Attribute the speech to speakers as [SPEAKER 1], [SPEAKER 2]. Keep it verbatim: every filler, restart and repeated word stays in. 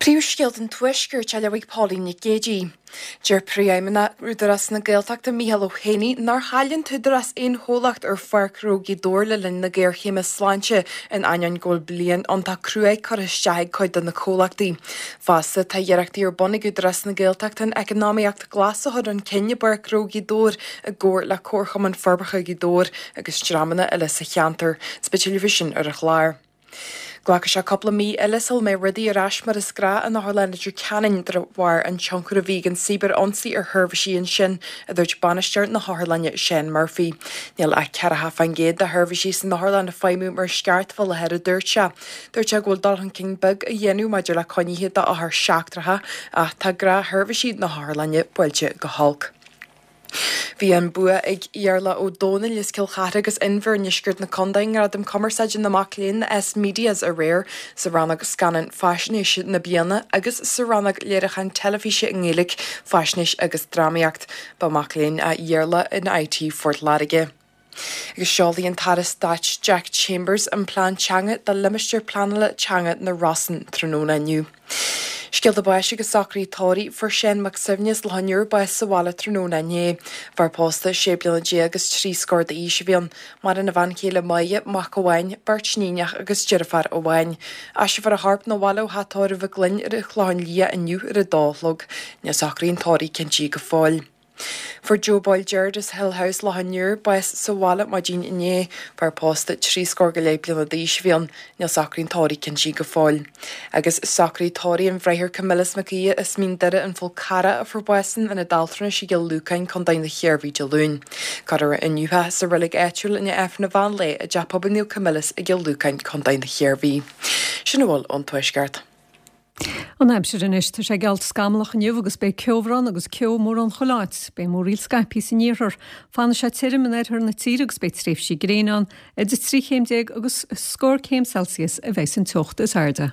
[SPEAKER 1] Príomhscéalta an Tuaiscirt á léamh ag Pauline Nic Géadaigh. Deir Príomhfheidhmeannach Údarás na Gaeltachta Micheál Ó hÉanaí nár chaill an t-údarás aon chomhlacht ar Pháirc Ghnó Ghaoth Dobhair le linn na géarchéime sláinte in ainneoin go bhfuil bliain iontach cruaidh curtha isteach ag cuid de na comhlachtaí. Fosta tá iarrachtaí ar bun ag Údarás na Gaeltachta an eacnamaíocht glas a chur chun cinn i bPáirc Ghnó Ghaoth Dobhair i gcomhar le Comharchumann Forbartha Ghaoth Dobhair agus dreamanna eile sa cheantar. Is beidh tuilleadh faoi sin ar an chlár. Glacfaidh sé cúpla mí eile sula mbeidh rudaí ar ais mar is gnách in Otharlann Leitir Ceanainn de bharr an tionchar a bhí ag an cibear-ionsaí ar sheirbhísí ansin, a dúirt bainisteoir na hotharlainne Shane Murphy. Níl ach ceathracha faoin gcéad de sheirbhísí san otharlann ag feidhmiú mar is ceart faoi láthair a dúirt sé. Dúirt sé go bhfuil dul chun cinn beag á dhéanamh maidir le coinnithe d'othair seachtracha ach tá gnáthsheirbhísí na hotharlainne buailte go holc. Bhí an bua ag Iarla Ó Dónaill as Cill Chartha agus Inbhir i ndeisceart na contae i nGradam Cumarsáide na Mac Léinn S Medias aréir sa rannóg scannán faisnéise na bliana agus sa rannóg léiriúchán teilifíse i nGaeilge, faisnéis agus drámaíocht. Ba mac léinn é Iarla in IT Phort Láirge. Agus seolfaidh an tAire Stáit Jack Chambers an plean teanga do limistéar pleanála teanga na Rosann tráthnóna inniu. Scéalta báis agus socruithe tórraimh fuair Seán Mac Suibhne as Loch an Iúir bás sa bhaile tráthnóna inné. Fear pósta sé bliana déag agus trí scór d'aois a bhí ann. Maireann a bhean chéile Máire, mac amháin, beirt níonach agus deirfiúr amháin. Aistreofar a chorp 'na bhaile ó theach tórraimh Mhic Gloinn ar an Chlochán Liath inniu ar a dó a chlog. Níl socruithe an tórraimh cinntithe go fóill. Fuair Joe Boyle Gerard as Hill House Loch an Iúir bás sa bhaile maidin inné. Fear pósta trí scór go leith bliana d'aois a bhí ann. Níl socruithe an tórraimh cinntithe go fóill. Agus socruithe tórraimh an Bhráthar Camillus Mac Aodha as Mín Doire an Fhál Carrach a fuair bás in ionad altranais i gCill Lúcáin, Contae na hIarmhí Dé Luain. Cuirfear inniu é sa reilig áitiúil i ndiaidh Aifreann an mheán lae i dTeach Pobail Naomh Camillus i gCill Lúcáin, Contae na hIarmhí. Sin a bhfuil ón Tuaisceart.
[SPEAKER 2] An aimsir anois tá sé geallta scamallach inniu agus beidh ceobhrán agus ceo mórán chuile áit, beidh múraíl scaipthe san iarthar. Fanfaidh sé tirim in oirthear na tíre agus beidh tréimhsí gréine ann, idir trí chéim déag agus scór céim Celsius a bheidh an teocht is airde.